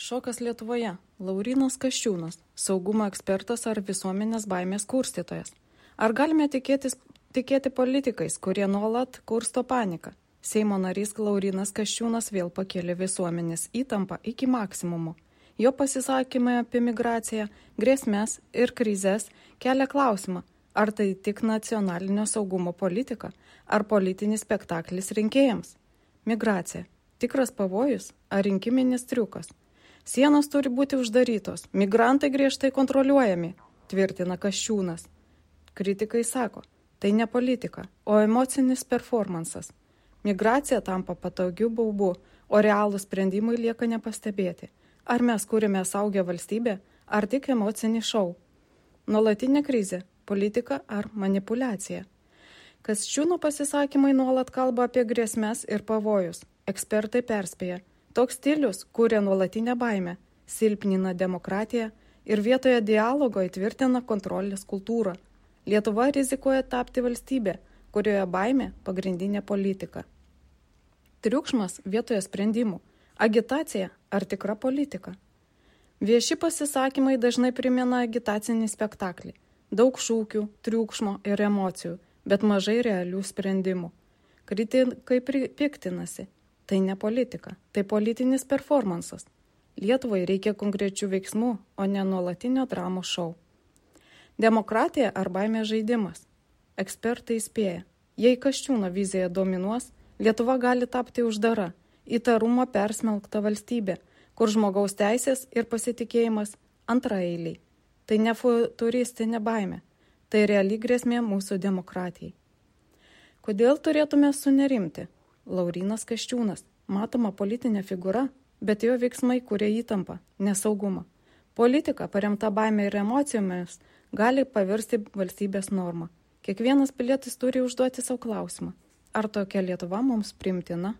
Šokas Lietuvoje. Laurynas Kasčiūnas. Saugumo ekspertas ar visuomenės baimės kurstytojas. Ar galime tikėti politikais, kurie nuolat kursto paniką? Seimo narys Laurynas Kasčiūnas vėl pakėlė visuomenės įtampą iki maksimumo. Jo pasisakymai apie migraciją, grėsmes ir krizės kelia klausimą, ar tai tik nacionalinio saugumo politika, ar politinis spektaklis rinkėjams. Migracija. Tikras pavojus ar rinkiminis triukas? Sienos turi būti uždarytos, migrantai griežtai kontroliuojami, tvirtina Kasčiūnas. Kritikai sako, tai ne politika, o emocinis performansas. Migracija tampa patogiu baubu, o realūs sprendimai lieka nepastebėti. Ar mes kūrėme saugę valstybę, ar tik emocinį šou? Nuolatinė krizė, politika ar manipulacija? Kasčiūno pasisakymai nuolat kalba apie grėsmes ir pavojus. Ekspertai perspėja, toks stilius kūrė nuolatinę baimę, silpnina demokratiją ir vietoje dialogo įtvirtina kontrolės kultūrą. Lietuva rizikuoja tapti valstybė, kurioje baimė pagrindinė politika. Triukšmas vietoje sprendimų, agitacija ar tikra politika. Vieši pasisakymai dažnai primena agitacinį spektaklį. Daug šūkių, triukšmo ir emocijų, bet mažai realių sprendimų. Kritikai piktinasi. Tai ne politika, tai politinis performansas. Lietuvai reikia konkrečių veiksmų, o ne nuolatinio dramos šou. Demokratija ar baimės žaidimas? Ekspertai įspėja, jei Kasčiūno vizija dominuos, Lietuva gali tapti uždara, įtarumo persmelkta valstybė, kur žmogaus teisės ir pasitikėjimas antraeiliai. Tai ne futuristinė baimė, tai reali grėsmė mūsų demokratijai. Kodėl turėtume sunerimti? Laurynas Kasčiūnas, matoma politinė figūra, bet jo veiksmai kuria įtampą, nesaugumą. Politika paremta baimė ir emocijomis gali pavirsti valstybės normą. Kiekvienas pilietis turi užduoti savo klausimą. Ar tokia Lietuva mums priimtina?